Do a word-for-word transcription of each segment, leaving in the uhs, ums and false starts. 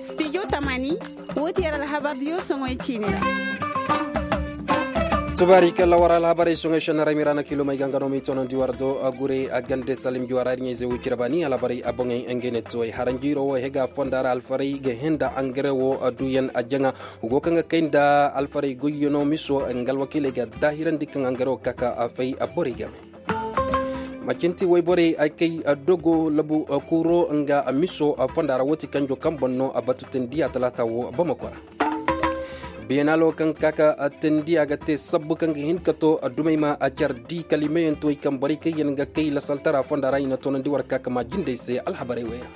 Studio tamani, woo ti yer alhabar diyo soŋoy ciini ra. Subaari kalla war alhabarey soŋoy šenna ra miraana kilomey ga nga no m'i toonandi war do a gurey a gande salim juwara ir ɲayze wicira baani alhabarey a boŋey ngey ne tuwey haranjiiro wo hega fonda ra alfarey ga henda angare wo a duyan a jaŋa. Hugo kaŋ ga kay nda alfarey goyyano miso nga alwakiiley ga daahirandi kaŋ angare wo ka ka a fay a borey game. Macinti wayborey ay kay dogo labu kuuro nga miso fonda ra woo ti kanjo kaŋ boŋ no a batu tendiya talaata wo bamako ra. Beenalo kaŋ ka ka tendiya ga te sabbu kaŋ ga hin ka to dumey ma a car di kala i meyantuwey kaŋ borey kaŋ yaŋ ga kay lasaltara fonda ra i na toonandi war ka ka ma jindey se alhabarey wey ra.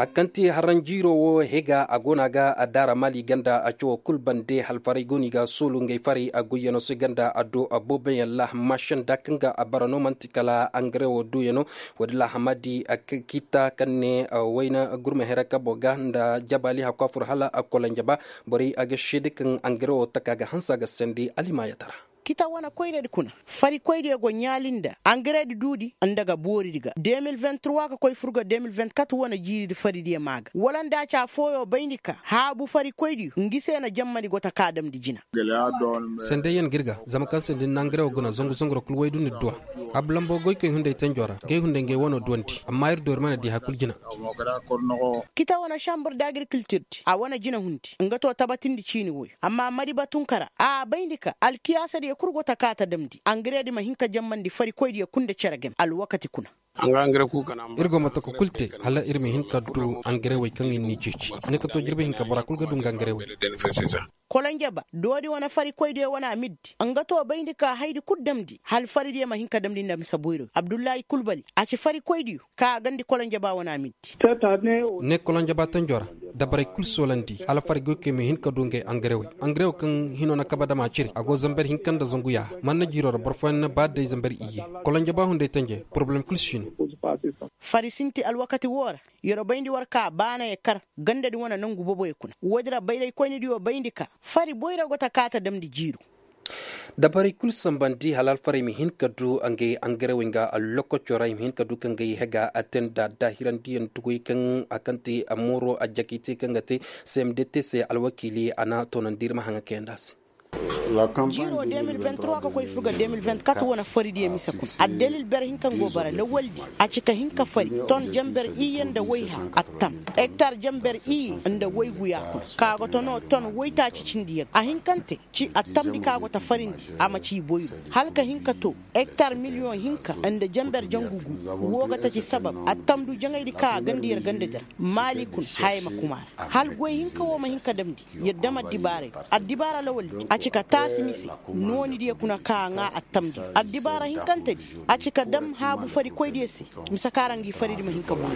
A kaŋ ti haranjiiro wo hega a go no a ga a daara maali ganda a cawo kul bande halfarey go no i ga a soolu ngey farey a goyyano se ganda a do a booboyaŋ laaham mašanda kaŋ ga a bara no man'ti kala angare wo duuyano. Woodi laahama di a kita kaŋ ne wayna gurma here kabo ga nda jabaali hakku a fur hala a kolonjaba. Borey a ga seede kaŋ angare wo taka ga hanse a ga sandi alimaayatara. Kita wane koyradi kuna farikoydiyo go ɲaali nda angaredi duudi nda ga booridi ga de mil vingt trois ka koy fur ga de mil vingt quatre wane jiiridi faridiyo maa ga wala nda a ci afooyo bayndi ka haabu farikoydiyo ngi se na jammani go ta ka damndi jina. Sendeyaŋ ga ir ga zama kaŋ se nda ni na angarewo guna zangu zangu ra kul waydu ni duwa. Haabu lambo goykoy hunday tanjo ra gay hunday ngay wano duwandi amma ir do ir mana di hay kul jina. Kita wane šambur da agirikiltirdi a wane jina hundi nga to tabatindi ciini woy. Amma mari batunkara a bayndi ka alkiyaasadiyo kul go ta kaa ta damndi angaredi ma hin ka jammandi farikoydiyo kul nda cere game alwakati kuna. Ir go ma taka kul te hala ir ma hin ka du angarewey kaŋ ir n'i ceeci. Ni ka to jirbi hinka bora kul ga du nga angarewey. Kolonjaba doodi wane farikoydiyo wane a middi nga to bayndi ka haydi kul damndi hala faridiyo ma hin ka damndi nda mise boyroyo abdullahi kulbali a ci farikoydiyo ka a gandi kolonjaba wane a middi. Ne kolonjaba tanjo ra dabarey kul soolandi hala fari goykey ma hin ka du ngey angarewey angarewo kaŋ hino na kaba dama ciri a go zamber hinka nda zangu yaaha manna jiiro ra boro fooyaŋ na ba day zamber iyye. Kolonjaba hunday tanjey porobalem kul si no. Fari sinti alwakati woo ra yer bayndi war ka baana ye kar gandadi wane nangu boboyo kuna woodi ra bayraykoynidiyo bayndi ka fari boyra go ta kaa ta damndi jiiru. Dabarey kul sambandi hala alfarey ma hin ka du ngey angarewey nga allokoco ra i ma hin ka du ka ngey hega a te nda daahirandiyaŋ tuguy kaŋ a kaŋ te a mooro a jakay te kaŋ ga te. Cmdt se alwakiili a na toonandi ir ma haŋa kayanda se. Jiiroo de mil vingt trois ka koy fur ga de mil vingt quatre wane faridiyo mise kuna addalil ber hinka nga go bara lawaldi a ci ka hin ka fari ton jamber iyye nda wayha attam hektar jamber iyye nda wayguya kuna ka go ta no ton waytaaci cindiyaŋ a hin kaŋ te ci attamdi ka go ta farindi a ma ci boyro hala ka hin ka to hektar miliyoŋ hinka nda jamber jangu gu. Woo ga ta ci sabab attamdu jaŋaydi ka a gandi yer gandadi ra maali kuna haya ma kuma ra hala goy hinka woo ma hin ka damndi yer dam addibaarey addibaara lawaldi a ci ka taasi mise noonidiyo kuna ka a ŋaa attamdiyo addibaara hinkantedi a ci ka dam haabu farikoydiyo se mise ka ra ngi faridi ma hin ka boŋ.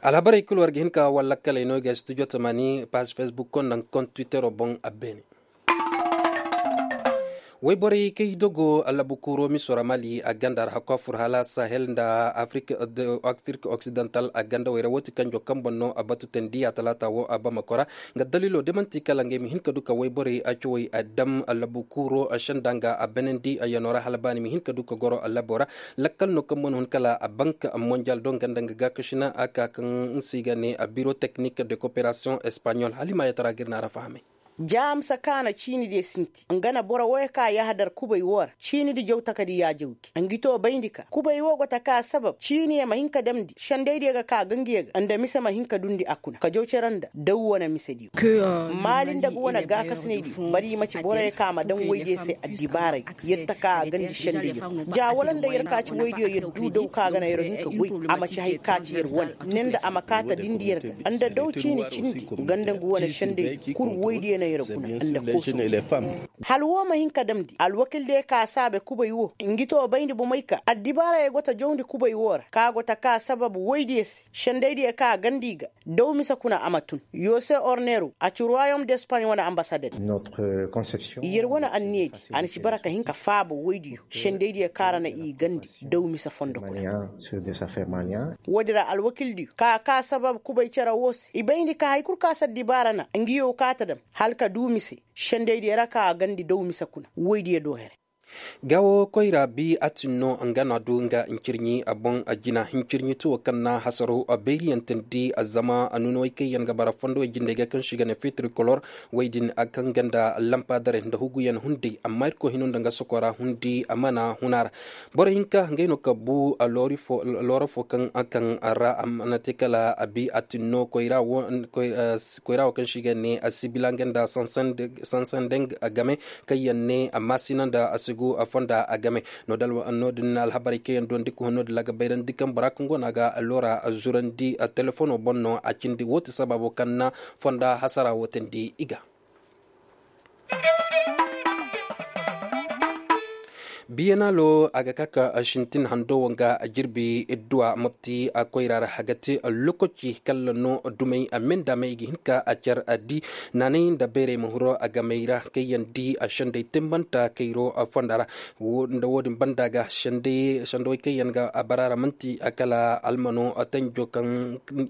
Alhabarey kul war ga hin ka war lakkaley no i ga studio tamani paas fesbuk koŋ nda koŋ twittero boŋ a beene. Wayborey kay dogo allabu kuuro miso ra mali a ganda ra hakku a fur hala sahel nda afirka oksidantal a ganda wayra woo ti kanjo kaŋ boŋ no a batu tandiya talaata woo a bamako ra. Nga daliilo da man'ti kala ngey ma hin ka du ka wayborey a cawey a dam allabu kuuro a senda nga a benandi a yano ra hala ba ni ma hin ka du ka goro allabo ra. Lakkal no kaŋ mana hun kala a bank monjal do nga nda nga gaakasina a ka kaŋ se i ga ne a biro teknik de koperasiyoŋ espanyol hala i ma yatara ga ir na ra fahamay. Jaamsa kaana ciini diya sinti nga na boro woy ka yahadar kubay woo ra ciini di jaw takadi yaajawgi ngi to bayndi ka kubay woo go ta ka sabab ciiniya ma hin ka damndi sendaydiya ga ka gangiya ga nda mise ma hin ka dundi a kuna ka jaw cere nda daw wane misediyo. Maali nda ga wane gaakasinaydiyo bari i ma ci boroyo ka ma daŋ woydiyo se addibaaray. Yer ta ka a gandi sendaydiyo ja wala nda yer ka ci woydiyo yer du daw ka ga na yer hin ka goy a ma ci hay ka ci yer wane ne nda a ma kaata dindi yer ga nda daw ciini cindi nga nda nga wane sendaydiyo kul woydiyo na yer guna nda kooso. Hala woo ma hin ka damndi alwakildiyo ka saabe kubay woo ngi to bayndi bomey ka addibaarayey go ta jawndi kubay woo ra ka go ta ka sabab woydiyo se sendaydiyo ka a gandi i ga daw mise kuna a ma tun. Yose orneru a ci ruwayom d'espagne wane ambasaded. Yer wane anniyadi a na ci bara ka hin ka faaba woydiyo sendaydiyo ka ra na i gandi daw mise fondo kuna. Woodi ra alwakildiyo ka ka sabab kubay cere woo se i bayndi ka hari kul ka si addibaara na ngiyo ka ta dam hala ka du mise sendaydiyo ra ka a gandi daw mise kuna woydiyo do here. Gaawo koyra bi atin no nga na du nga hincirɲi boŋ jina hincirɲi tuwo kaŋ na hasaro beeriyaŋ tindi zama nunawey kaŋ yaŋ ga bara fondowey jindey ga kaŋ se i ga ne fitrikolor wey din kaŋ ga nda lampa dare nda huguyaŋ hundi amma irkoy hino nda nga sokora hundi mana huna ra. Boro hinka ngey no ka bu loori fo looro fo kaŋ kaŋ ra a mana te kala a bi atin no koyra wo kaŋ se i ga ne sibila nga nda sansandeng game kaŋ yaŋ ne maasina nda sigu fonda game. No- din alhabarey kaŋ yaŋ duwandi ka hun no- din ra ga bayrandi kaŋ bora kaŋ go no a ga loora zurandi telefono boŋ no a cindi wo- ti sabaabo kaŋ na fonda hasara wo teendi i ga. Biyenaalo a ga ka ka sintin hando wo nga jirbi idduwa mopti a koyra ra a ga te lokaci kalla no dumey a menda may i ga hin ka a car a di naanay nda bayray ma huro a gamey ra kaŋ yaŋ di a sendey timbanta kayro fonda ra. Nda wo- din banda ga sendey kaŋ yaŋ ga a bara ra man'ti kala almano tanjo kaŋ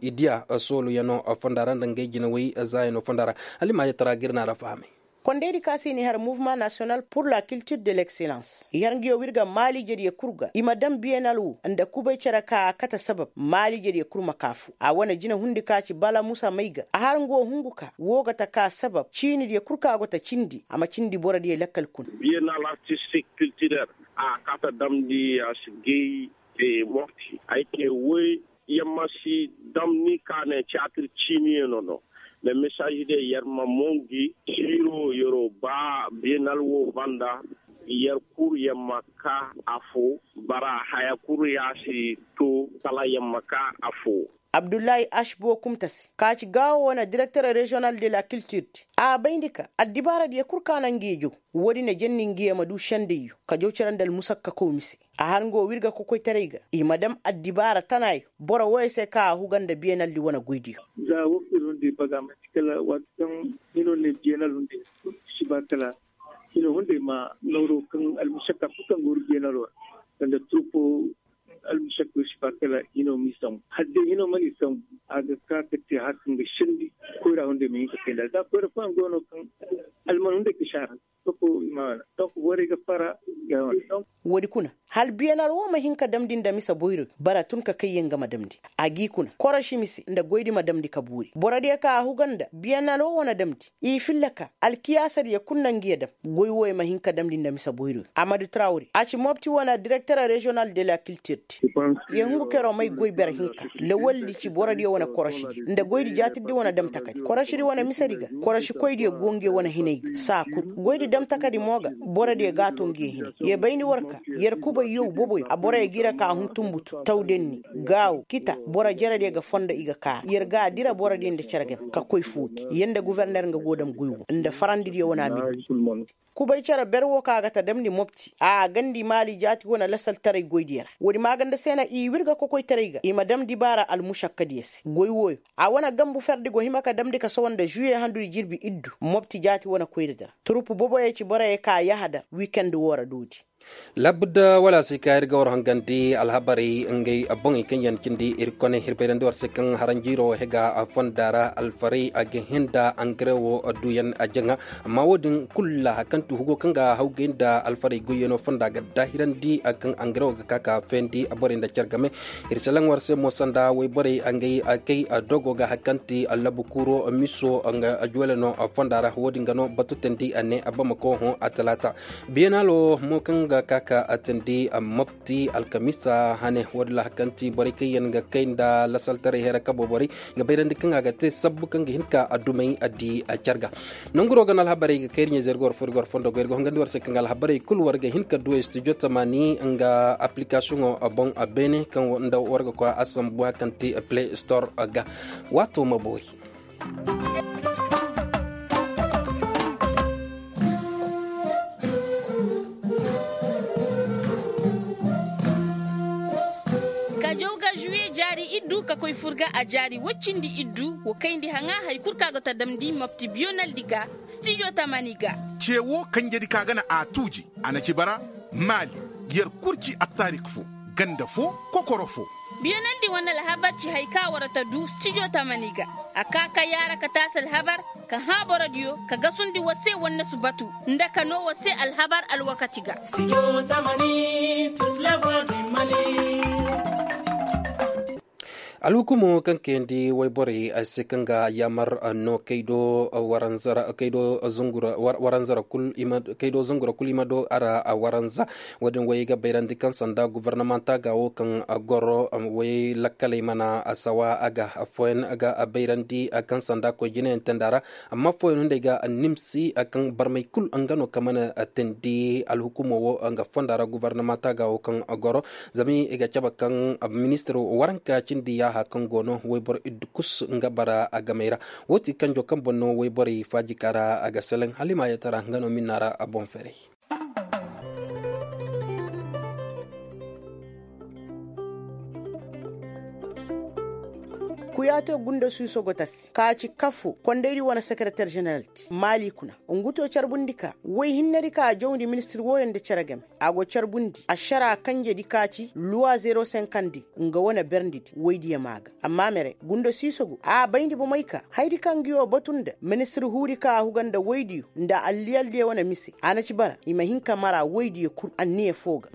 i diya sooluyaŋo fonda ra nda ngey jinawey zaayaŋo fonda ra. Hala i ma a yatara ga ir na a ra fahamay. Kondaydi ka se i na i har mouvement national pour la culture de l'excellence i har nguyo w'ir ga maaliijediyo kul ga i ma daŋ biyenal wo nda kubay cere ka a kate sabab maaliijediyo kul ma ka fu a wane jinahundi ka ci bala musa may ga a har nga wo hungu ka wo ga ta ka sabab ciinidiyo kul ka go ta cindi a ma cindi borodiyo lakkal kuna. Biyenal artistik kiltirel a kate damndi a si gay mofti ay te woy yamma si damni ka ne tiyatir ciiniyaŋo no. Mais mesaazi de yer ma mongi siiro yer'o ba beenal wo banda yer kul yer ma ka afo bara haya kul ya si to kala yer ma ka afo. Abdullahi ashbo kumta se ka ci gaawo wane direkter reziyonal de la kiltir di a bayndi ka addibaaradiyo kul ka naŋ ngi ya jaw. Woodin na janni ngi ya ma du sendayyo ka jaw cere nda almusakka kawmi se. A har nga wo w'ir ga kokoytaray ga i ma dam addibaara tanaayo boro wooyo se ka a huga nda beenaldi wane goydiyo. Za woo kul ir hundi baga man'ti kala waati kaŋ hino ne beenal hundi si ba kala hino hunday ma nooro kaŋ almusakka kul kaŋ ga wur beenal wo ra sanda turpo almusakka si ba kala hino m'i sambu hala day hino mana i sambu a ga ka ka te har kaŋ ga sendi koyra hunday ma hin ka kay nd'a za koyra fooyaŋ go no kaŋ alman hunday ka si a ra. Donk borey ga fara. Woodi kuna hala biyenal wo ma hin ka damndi nda mise boyroy bara tun ka kay yaŋ ga ma damndi a g'i kuna koroši mise nda goydi ma damndi ka boori borodiyo ka a huga nda biyenal wo wane damndi i filla ka alkiyaasadiyo kul na ngi ya dam. Goy wooyo ma hin ka damndi nda mise boyroy amadu trawri a ci mopti wane direkter reziyonal de la kiltir di. Yer hungu ka yer wo may goy bere hinka lawaldi ci borodiyo wane korošidi nda goydi jaatirdi wane damtakadi korošidi wane misedi ga korošikoydiyo go ngi ya wane hinay ga saa kul goydi damtakadi mo ga borodiyo g'a to ngi ya hinay yer bayndi war ka yer kubay yow boboyo a boroyo g'i ra ka hun tunbutu tawdenni gaawo kita boro jerediyo ga fondo i ga kaara yer g'a dira borodiyo nda cere game ka koy fooki yer nda guforner nga go dam goy wo nda farandidiyo wane a mindi. Kubay cere ber wo ka ga ta damndi mopti a gandi maali jaati wane lasaltaray goydiyo ra woodi maaganda se na i wirga kokoytaray ga i ma damndi baara almušakkadiyo se goy wooyo a wane gambu ferdi go hima ka damndi ka sohõ nda žuwiye handudi jirbi iddu mopti jaati wane koyradi ra turpu boboyo ci boroyo ka yahadar wikend woo ra doodi. Labudda wala se ka ir ga war hangandi alhabarey ngey boŋey kaŋ yaŋ cindi ir kone ir bayrandi war se kaŋ haranjiiro hega fonda ra alfarey a ga hin da angare wo duyaŋ a jaŋa. Amma wo- din kulu ra hari kaŋ ti hugo kaŋ ga hawgay nda alfarey goyyaŋo fonda ga daahirandi hari kaŋ angare wo ga ka ka fendi borey nda care game. Ir salaŋ war se mo sanda wayborey ngey kay dogo ga hari kaŋ ti allabu kuuro miso nga juwele no fonda ra wo- din ga no batu teendi a ne bamako hõ a talaata. Biyenaalo mo kaŋ ga ka ka a teendi mopti alkamiisa hane wo- din ra hari kaŋ ti borey kaŋ yaŋ ga kay nda lasaltaray hera kabo borey ga bayrandi kaŋ a ga te sabbu kaŋ ga hin ka a dumey a di a care ga. Nanguro ga no alhabarey ga kay ir ɲa-ize ir ga war fo ir ga war fondo go ir ga hongandi war se kaŋ ga alhabarey kulu war ga hin ka du studio tamaani nga aplikasiyoŋo boŋ beene kaŋ nda war ga koy a sambu hari kaŋ ti play store ga. Waato ma boori. Ka jaw ga žuwiye jaari iddu ka koy fur ga a jaari woy cindi iddu wo kayndi haŋa hari kul kaŋ a go ta damndi mopti biyonaldi ga stijo tamani ga. Ce wo kanjedi kaŋ a ga na a tuuji a na ci bara maali yer kul ci attaarik fo ganda fo kokoro fo. Biyanandi wane alhabar ci hari ka war ta du stijo tamani ga. A ka ka yaara ka taasi alhabar, ka hã borodiyo ka gasundi war se wannasu batu, nda ka noo war se alhabar alwakati ga. Alhukumo kaŋ kayandi wayborey se kaŋ ga yaamar no kaydo waranzara kul i ma do ara waranza. Wo- din way ga bayrandi kaŋ sanda gobornomanta ga wo kaŋ goro way lakkaley mana sawa a ga affooyaŋ ga bayrandi kaŋ sanda koy jinayaŋ tenda ra. Amma affooyaŋ no nd'ey ga nimsi kaŋ barmey kul nga no kaŋ mana teendi alhukumo wo nga fonda ra gobornomanta ga wo kaŋ goro. Zama i ga cabe kaŋ ministir waranka cindi yaaha kaŋ go no wayboro iddukus nga bara a gamey ra. Wo ti kanjo kaŋ boŋ no wayborey faajika ra a ga seleŋ hala i ma yatara nga no minna ra a boŋ ferey. Kuyaate gunda suuso go tasi ka ci kafo kondaydi wane sekereter jeneral ti maali kuna. Ngu to carbundi ka woy hinnedi ka jawndi ministir wooyo nda cere game. A go carbundi ašara kanjedi ka ci luwa zero senkandi nga wane berndidi woydiyo maa ga. Amma mere gunda siiso go a bayndi bomey ka haydi kaŋ nguyo batu nda ministir huudi ka a huga nda woydiyo nda alliyaldiyo wane mise a na ci bara i ma hin ka mara woydiyo kul anniya foo ga.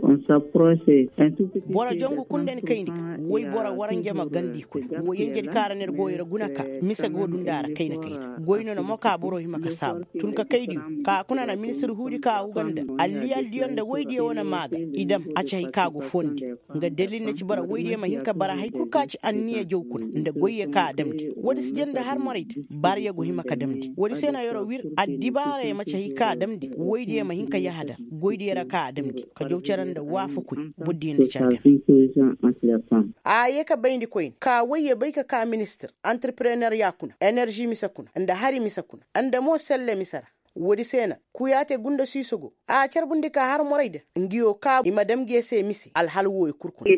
Boro jongu kul nda ni kayndi ga woy boro waranje ma gandi kuna woy yenjedi ka ra ner go yer guna ka mise go du nda a ra kayna kayna goy no na mo ka boro hima ka saabu tun ka kaydiyo ka kuna na ministir huudi ka a huga nda alliyaldiyo nda woydiyo wane maa ga i dam a ci hay ka go fondi. Nga dalil na ci bara woydiyo ma hin ka bara hay kul ka ci anniya jaw kuna nda goyyo ka a damndi woodi si janda har morayda baariyo go hima ka damndi woodi se no yer'o wir addibaarayo ma ci hay ka a damndi woydiyo ma hin ka yahadar goydiyo ra ka a damndi ka jaw cere nda waafakoy. Bordiyo nda cere game. A ye ka bayndi koyne ka woyyo bay ka ka ministir antirperener ya kuna enerži mise kuna nda hari mise kuna nda mo selle mise ra. Woodi se na kuyaate gunda siiso go a carbundi ka har morayda ngiyo ka i ma dam ngiyo se mise alhal wooyo kul kuna.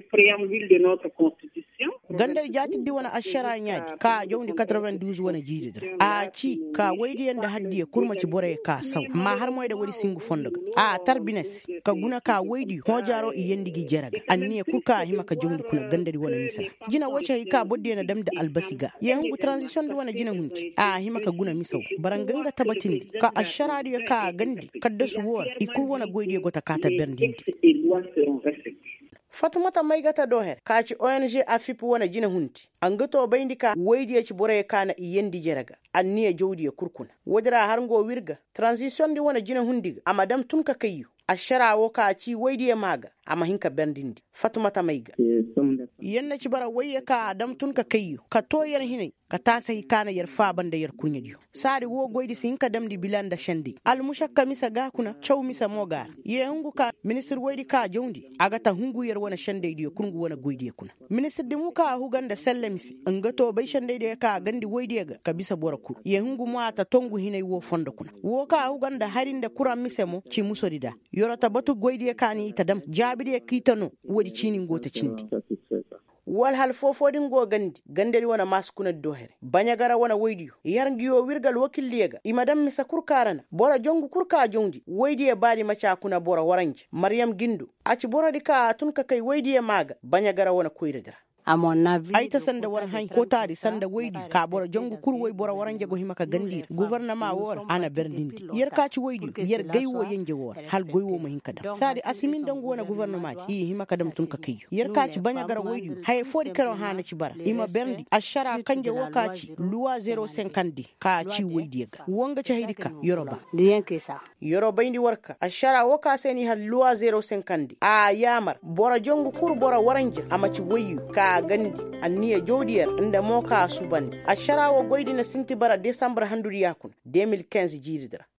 Gandar jaatirdi wane ašara ɲaadi ka a jawndi katarben duuz wane jiiridi ra a ci ka woydiyo nda hardiyo kul ma ci boroyo ka saw amma har moyda woodi si ngu fondo ga a tar bine se ka guna ka woydiyo hoojaaro i yeendi gi jere ga anniya kul ka a hima ka jawndi kuna gandadi wane mise ra. Jina woo ci hay ka bordiyo na damndi albasi ga yee hungu taranzisiyondi wane jinahundi a hima ka guna mise woo bara nga nga tabatindi ka ašaraadiyo ka a gandi kaddasu woo ra i kul wane goydiyo go ta kaa ta berndindi. Fatumata maygata dooher ka ci ong afip wane jinahundi a nga too bayndi ka woydiyo ci boroyo ka na i yeendi jere ga anniya jawdiyo kul kuna. Woodi ra har nga woo wir ga taranzisiyondi wane jinahundi ga a ma dam tun ka kayyu ašara woo ka a ci woydiyo maa ga a ma hin ka berndindi. Fatumata may ga. Yer na ci bara woyyo ka a dam tun ka kayyo ka too yer hinay ka taasi hay ka na yer faaba nda yer kurɲediyo. Saadi woo goydi si hin ka damndi bila nda sendey almušakka mise ga kuna caw mise mo ga a ra. Yee hungu ka ministir woydi ka a jawndi a ga ta hungu yer wane sendeydiyo kul ngu wane goydiyo kuna. Ministirdi mo ka a huga nda selle mise nga too bay sendeydiyo ka a gandi woydiyo ga ka bisa boro kul yee hungu mo a ta too ngu hinay woo fondo kuna. Woo ka a huga nda hari nda kuraŋ mise mo ci musodi nda. Yer'o ta batu goydiyo ka ni i ta dam jaabidiyo ka i ta noo. Woodi ciini ngu ta cindi. Walhal foo-foodi ngu gandi gandadi wane maasi kuna di doo here baɲagara wane woydiyo yer ngiyo wirgal wakildiyo ga i ma dam mise kul ka ra na boro jongu kul ka jawndi woydiyo baadi maci a kuna boro waranje maryam gindo. A ci borodi ka a tun ka kay woydiyo maa ga baɲagara wane koyradi ra. Ay ta sanda war hañ kootaadi sanda woydi ka boro jongu kul woy boro waranje go hima ka gandi ra gofornama woo ra a na berndindi yer ka ci woydi yer gay woo yenje woo ra hala goy woo ma hin ka dam saadi a si min dangu wane gofornamaadi i hima ka dam tun ka kayyo yer ka ci baɲagara woydi haya foodi kero hã na ci bara i ma berndi ašara kanje woo ka ci luwa zero senkandi ka ci woydiyo ga woo nga ci haydi ka yoro ba. Yer'o bayndi war ka ašara woo ka se n'i har luwa zero senkandi a yaamar boro jongu kul boro waranja a ma ci woyyu ka a gandi anniya jawdi yer nda mo ka a subandi ašara woo goydi na sinti bara desambur handudi ya kuna de mil kinz jiiridi ra.